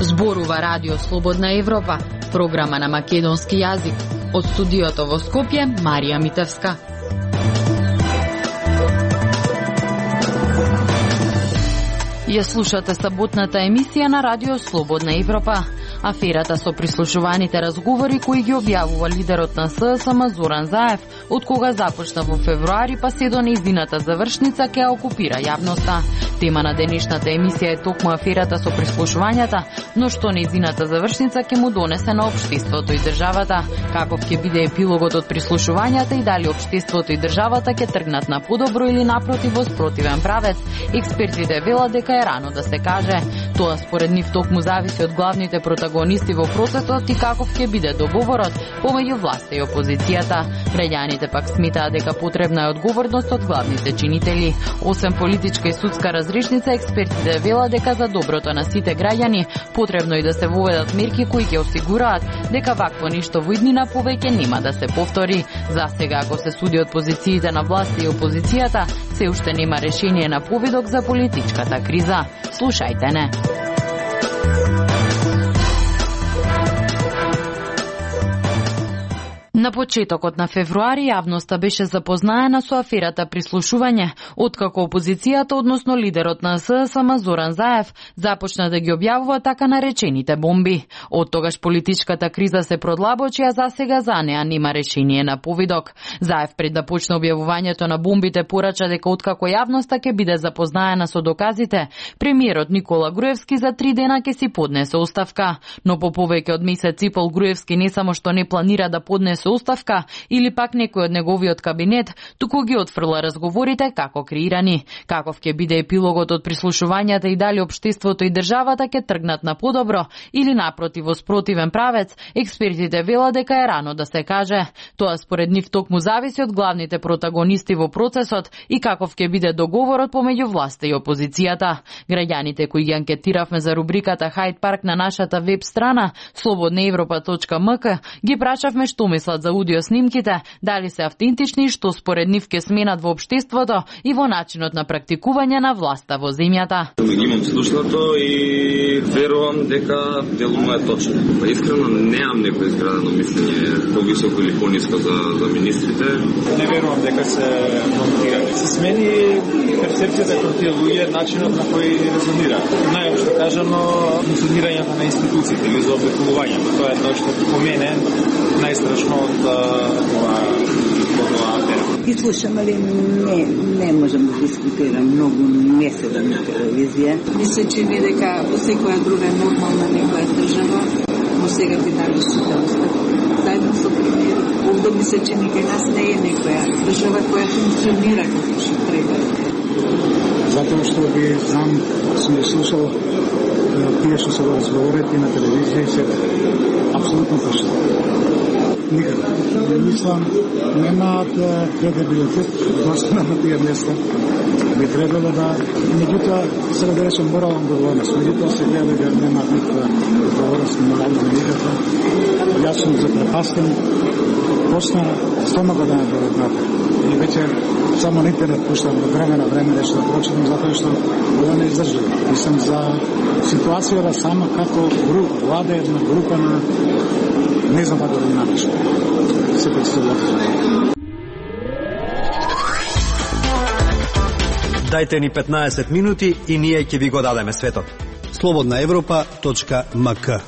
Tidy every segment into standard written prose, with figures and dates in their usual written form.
Зборува Радио Слободна Европа, програма на македонски јазик. Од студиото во Скопје, Марија Митевска. Ја слушате саботната емисија на Радио Слободна Европа. Аферата со прислушуваните разговори кои ги објавува лидерот на СДСМ Зоран Заев, од кога започна во февруари па се до нејзината завршница ќе окупира јавноста. Тема на денешната емисија е токму аферата со прислушувањата, но што нејзината завршница ќе му донесе на општеството и државата, каков ќе биде епилогот од прислушувањата и дали општеството и државата ќе тргнат на подобро или напротив во спротивен правец. Експертите велат дека е рано да се каже. Тоа според нив токму зависи од главните протагонисти во процесот и каков ќе биде договорот помеѓу власта и опозицијата. Граѓаните пак сметаат дека потребна е одговорност од главните чинители. Освен политичка и судска разрешница, експертите велат дека за доброто на сите граѓани потребно и да се воведат мерки кои ќе осигураат дека вакво нешто во иднина повеќе нема да се повтори. За сега, ако се суди од позициите на власта и опозицијата, се уште нема решение на поведок за политичката криза. Слушајте не. На почетокот на февруари јавноста беше запознаена со аферата прислушување, откако опозицијата, односно лидерот на СДСМ Зоран Заев, започна да ги објавува така наречените бомби. Од тогаш политичката криза се продлабочи, а засега за неа нема решение на повидок. Заев пред да почне објавувањето на бомбите порача дека откако јавноста ќе биде запознаена со доказите, премиерот Никола Груевски за 3 дена ќе си поднесе оставка. Но по повеќе од месец и пол Груевски не само што не планира да поднесе оставка или пак некој од неговиот кабинет, туку ги отфрла разговорите како креирани. Каков ќе биде епилогот од прислушувањата и дали општеството и државата ќе тргнат на подобро или напротив во спротивен правец, експертите велат дека е рано да се каже. Тоа според нив токму зависи од главните протагонисти во процесот и каков ќе биде договорот помеѓу власта и опозицијата. Граѓаните кои ги анкетиравме за рубриката Хайд парк на нашата веб страна slobodnaevropa.mk ги прашавме што мислат за аудио снимките, дали се автентични и што според нив ќе сменат во општеството и во начинот на практикување на власта во земјата. Имам слушнато и верувам дека делумно е точно. Искрено немам некој изградено мислење повисоко или пониско за министрите. Не верувам дека се монтирани. Се смени перцепцијата кон тие луѓе, начинот на кој резонира. Најопшто кажано, функционирањето на институциите или заобиколувањето. Тоа е тоа што по мене најстрашно од оваа афера. Ги слушам, али не можам да дискутирам многу, не седам на телевизија. Мисля, че ми дека во секоја друга нормална некоја држава, но сега ти дали оставка. Заедно со премиер, овде мисля, че никај нас не е некоја држава која функционира како што треба. Затоа што ги знам, сум ја слушал тие што се разговорите на телевизија и сега. Апсолутно точно. Никако. Мислам, немаат кредибилитет достана на тие места. Би требало да, меѓутоа, сега да речем морална одговорност. Меѓутоа се гледа дека немаат никаква одговорност, морална никаква. Јас сум запрепастен. Почна 100 година да работам. И веќе само на интернет пуштам до време на време нешто да прочитам, затоа што ова не издржува. Мислам за ситуацијата сама како влада една група на не знам како да наречам. Се представува. Дајте ни 15 минути и ние ќе ви го дадеме светот. slobodnaevropa.mk.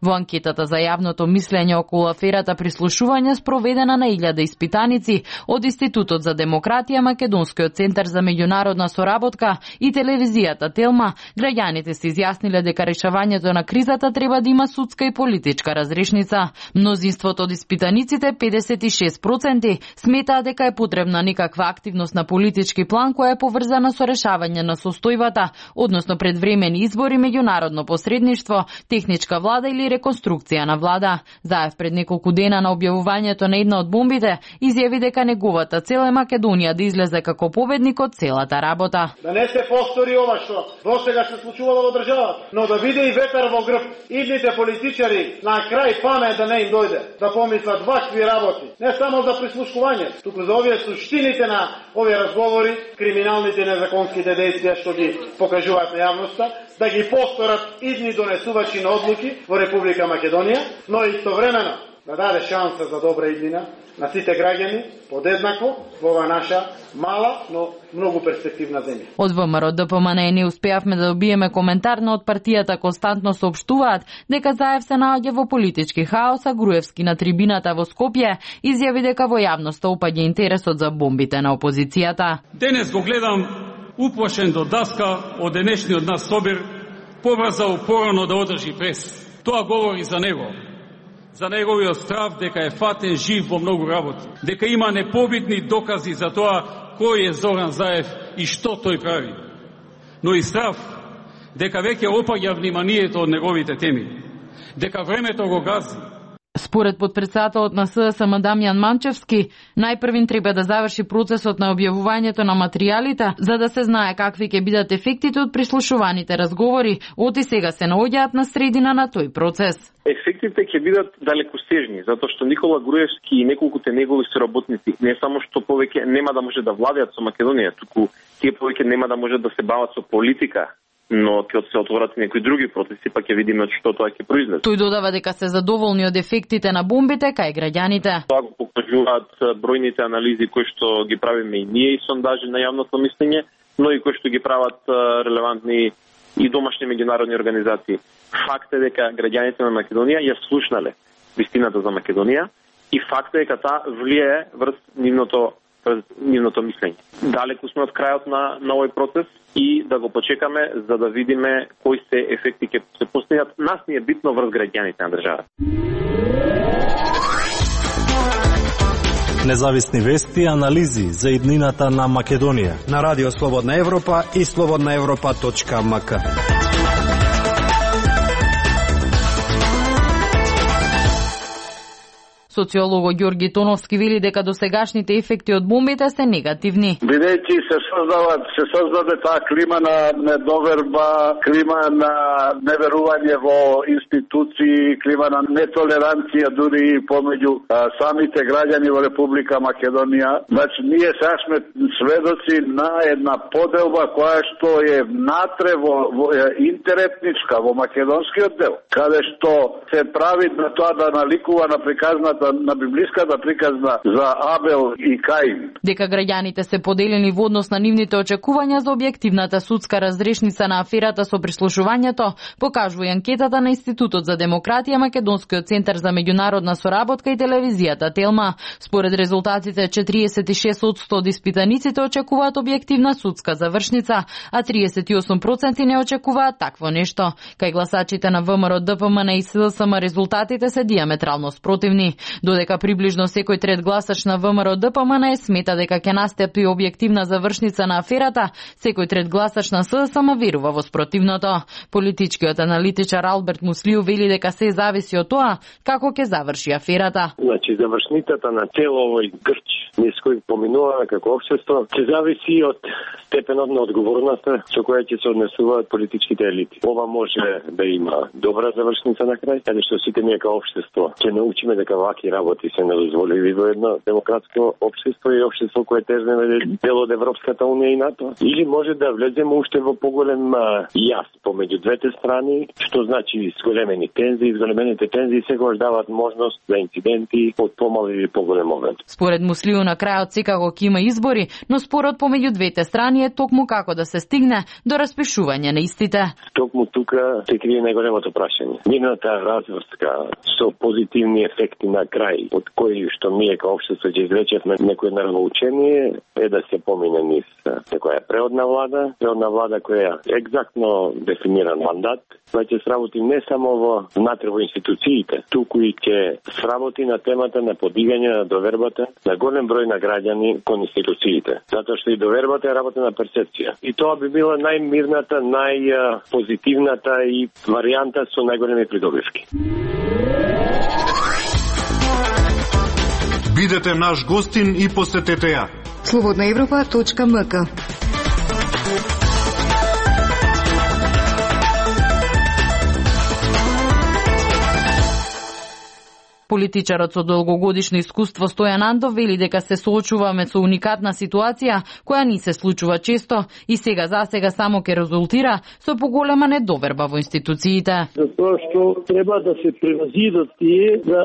Во анкетата за јавното мислење околу аферата прислушување спроведена на 1000 испитаници од Институтот за демократија, Македонскиот центар за меѓународна соработка и телевизијата Телма, граѓаните се изјасниле дека решавањето на кризата треба да има судска и политичка разрешница. Мнозинството од испитаниците, 56%, сметаа дека е потребна некаква активност на политички план која е поврзана со решавање на состојбата, односно предвремени избори, меѓународно посредништво, техничка влада или реконструкција на влада. Заев пред неколку дена на објавувањето на една од бомбите изјави дека неговата цел е Македонија да излезе како победник од целата работа. Да не се повтори ова што досега се случувало во државата, но да биде и ветар во грб идните политичари на крај памет да не им дојде, да помислат вакви работи, не само за прислушкување, туку за овие суштините на овие разговори, криминалните и незаконските действија што ги покажуваат на јавноста, да ги повторат идни донесувачи на одлуки во Република Македонија, но истовремено да даде шанса за добра иднина на сите граѓани подеднакво во оваа наша мала, но многу перспективна земја. Од ВМРО ДПМН не успеавме да добиеме коментар, но од партијата константно соопштуваат дека Заев се наоѓа во политички хаос, а Груевски на трибината во Скопје изјави дека во јавноста опаѓа интересот за бомбите на опозицијата. Денес го гледам уплашен до даска од денешниот нас собир, побрзал порано да одржи прес. Тоа говори за него. За неговиот страв дека е фатен жив во многу работи, дека има непобитни докази за тоа кој е Зоран Заев и што тој прави. Но и страв дека веќе опаѓа вниманието од неговите теми, дека времето го гази. Според подпредседателот на СДСМ Дамјан Манчевски, најпрвин треба да заврши процесот на објавувањето на материјалите, за да се знае какви ќе бидат ефектите од прислушуваните разговори, оти сега се наоѓаат на средина на тој процес. Ефектите ќе бидат далекосежни, затоа што Никола Груевски и неколкуте негови соработници не само што повеќе нема да може да владеат со Македонија, туку тие повеќе нема да може да се бават со политика, но ќе се отворат некои други процеси, па ќе видиме што тоа ќе произлезе. Тој додава дека се задоволни од ефектите на бомбите кај граѓаните. Тоа го покажуваат бројните анализи кои што ги правиме и ние и сондажи на јавното мислење, но и кои што ги прават релевантни и домашни меѓународни организации. Факт е дека граѓаните на Македонија ја слушнале вистината за Македонија и факт е дека таа влие врз нивното мислење. Далеку сме од крајот на овој процес и да го почекаме за да видиме кои се ефекти ќе се постигнат. Нас ни е битно врз граѓаните на државата. Независни вести и анализи за иднината на Македонија на Радио Слободна Европа и slobodnaevropa.mk. Социолого Ѓорги Тоновски вели дека досегашните ефекти од бомбите се негативни. Бидејќи се создаде таа клима на недоверба, клима на неверување во институции, клима на нетолеранција дури помеѓу самите граѓани во Република Македонија. Значи, ние сега сме сведоци на една поделба која што е внатре во интеретничка, во македонскиот дел, каде што се прави на тоа да наликува на приказната на библиската приказна за Абел и Каин. Дека граѓаните се поделени во однос на нивните очекувања за објективната судска разрешница на аферата со прислушувањето, покажува и анкетата на Институтот за демократија, Македонскиот центар за меѓународна соработка и телевизијата Телма. Според резултатите, 46% од испитаниците очекуваат објективна судска завршница, а 38% не очекуваат такво нешто. Кај гласачите на ВМРО ДПМН и СДСМ резултатите се диаметрално спротивни. Додека приближно секој трет гласач на ВМРО ДПМН смета дека ќе настапи објективна завршница на аферата, секој трет гласач на СДСМ верува во спротивното. Политичкиот аналитичар Алберт Муслиу вели дека се зависи од тоа како ќе заврши аферата. Значи, завршницата на цело овој грч низ кој поминуваме како општество, ќе зависи од степенот на одговорноста со која ќе се однесуваат политичките елити. Ова може да има добра завршница на крај, каде што сите ние како општество ќе научиме дека ваки работи се недозволиви во едно демократско општество и општество кое тежне дел од Европската унија и НАТО. Или може да влеземе уште во поголем јас помеѓу двете страни, што значи зголемени тензии. Зголемените тензии секогаш даваат можност за инциденти од помал или поголем момент. Според Муслиу на крајот секако ќе има избори, но спорот помеѓу двете страни е токму како да се стигне до распишување на истите. Токму тука се крие најголемото прашање. Нивната разврска со позитивни ефекти на крај, од кои што ние како општество ќе извлечевме некој нравоучение, е да се помине низ некоја преодна влада која екзактно дефиниран мандат, која ќе сработи не само внатре во институциите, туку и ќе сработи на темата на подигање на довербата на голем број на граѓани кон институциите. Затоа што и довербата е работа на перцепција. И тоа би била најмирната, најпозитивната и варијанта со најголеми придобивки. Бидете наш гостин и посетете ја. slobodnaevropa.mk. Политичарот со долгогодишно искуство Стојан Андов вели дека се соочуваме со уникатна ситуација која ни се случува често и сега само ќе резултира со поголема недоверба во институциите. Затоа што треба да се превазидат тие да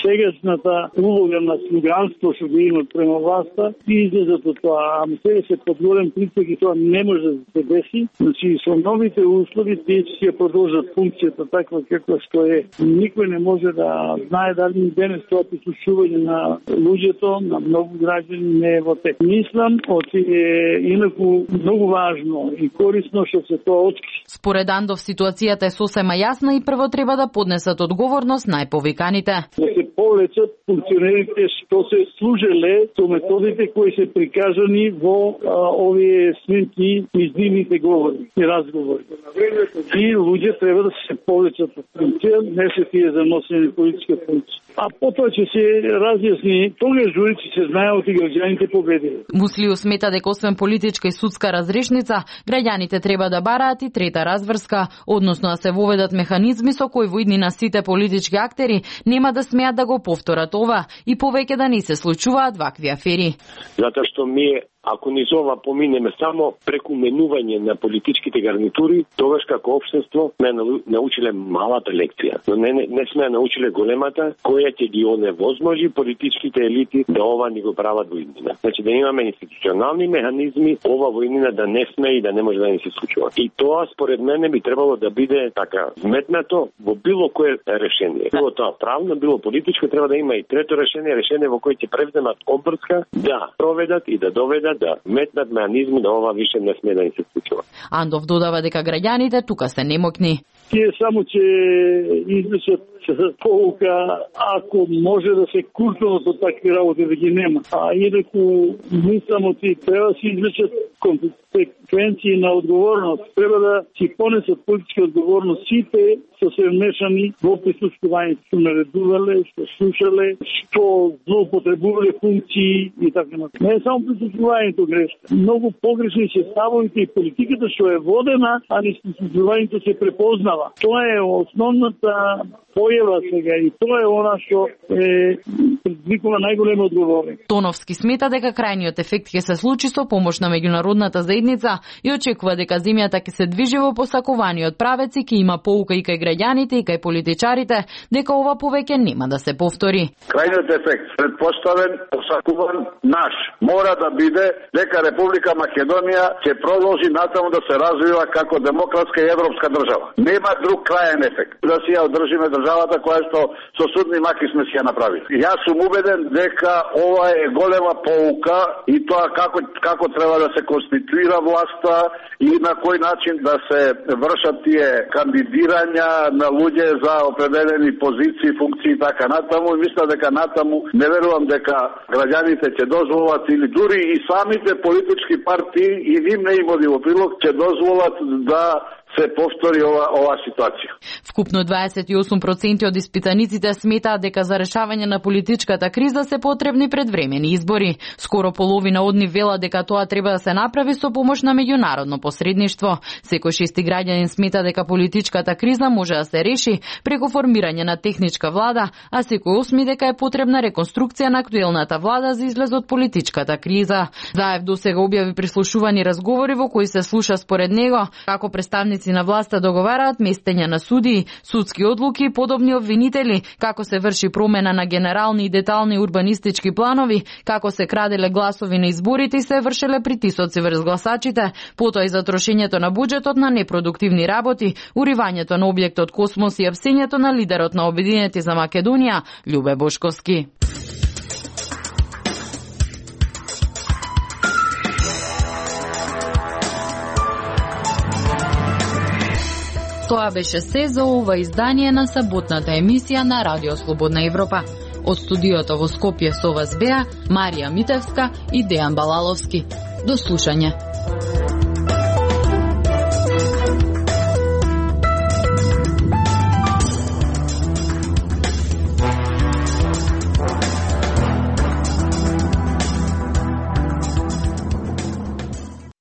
сегашната улога на слуганство што го имат према власта и излезат од тоа. Ама сега се под голем притиск и тоа не може да се деси. Значи со новите услови тие ќе продолжат функцијата таква каква што е. Никој не може да знае дали денес тоа прислушување на луѓето, на многу граѓани не е во тек. Мислам, е инаку многу важно и корисно што се тоа откри. Според Андов ситуацијата е сосема јасна и прво треба да поднесат одговорност најповиканите. Да се повлечат функционерите што се служеле со методите кои се прикажани во овие снимки, издимните говори и разговори. И луѓе треба да се повлечат од функција, не се тие за носење политичка функција. А потоа ќе се разјасни, тогаш дури ќе се знае од граѓаните победили. Муслиу смета дека освен политичка и судска разрешница, граѓаните треба да бараат и трета разврска, односно да се воведат механизми со кои во иднина сите политички актери нема да смеат да го повторат ова и повеќе да не се случуваат вакви афери. Затоа што ако низ ова поминеме само преку менување на политичките гарнитури, тогаш како општество сме научиле малата лекција, но не сме научиле големата, која ќе ги оневозможи политичките елити да ова ни го прават во иднина. Значи да имаме институционални механизми, ова во иднина да не сме и да не може да ни се случува. И тоа според мене би требало да биде така вметнато во било кое решение. Било тоа правно, било политичко, треба да има и трето решение во кое ќе превземат обврска да проведат и да доведат да метнат механизми да ова више не сме да ни се случува. Андов додава дека граѓаните тука се немокни. Тие само ќе извлечат полука ако може да се куртуват од такви работи да ги нема. А инаку не само ти треба да се извлечат консеквенции на одговорност. Треба да си понесат политичка одговорност сите што се вмешани во прислушувањето, што наредувале, што слушале, што злоупотребувале функции и така натаму. Не е само прислушувањето грешка. Многу погрешни се ставовите и политиката што е водена, а не прислушувањето се препознава. Тоа е основната појава сега и тоа е она што предизвикува најголема одговорност. Тоновски смета дека крајниот ефект ќе се случи со помош на меѓународната заедница и очекува дека земјата ќе се движи во посакуваниот правец и ќе има поука и кај граѓаните и кај политичарите дека ова повеќе нема да се повтори. Крајниот ефект, предпоставен, посакуван, наш, мора да биде дека Република Македонија ќе продолжи натаму да се развива како демократска и европска држава. Нема друг крајен ефект. Да си ја одржиме државата која што со судни маки сме си ја направили. Јас сум убеден дека ова е голема поука и тоа како треба да се конституира власта и на кој начин да се вршат тие кандидирања на луѓе за определени позиции, функции и така натаму. И мисля дека натаму не верувам дека граѓаните ќе дозволат или дури и самите политички партии и ним не им оди во прилог ќе дозволат да се повтори ова ситуација. Вкупно 28% од испитаниците сметаат дека за решавање на политичката криза се потребни предвремени избори. Скоро половина од нив велат дека тоа треба да се направи со помош на меѓународно посредништво. Секој шести граѓанин смета дека политичката криза може да се реши преку формирање на техничка влада, а секој осми дека е потребна реконструкција на актуелната влада за излез од политичката криза. Заев досега објави прислушувани разговори во кои се слуша според него како представници на власта договараат местење на судии, судски одлуки и подобни обвинители, како се врши промена на генерални и детални урбанистички планови, како се краделе гласови на изборите и се вршеле притисоци врз гласачите, потоа и за трошењето на буџетот на непродуктивни работи, уривањето на објектот Космос и апсењето на лидерот на Обединети за Македонија, Љубе Бошковски. Тоа беше се за ова издание на саботната емисија на Радио Слободна Европа. Од студиото во Скопје со вас беа Марија Митевска и Дејан Балаловски. До слушање.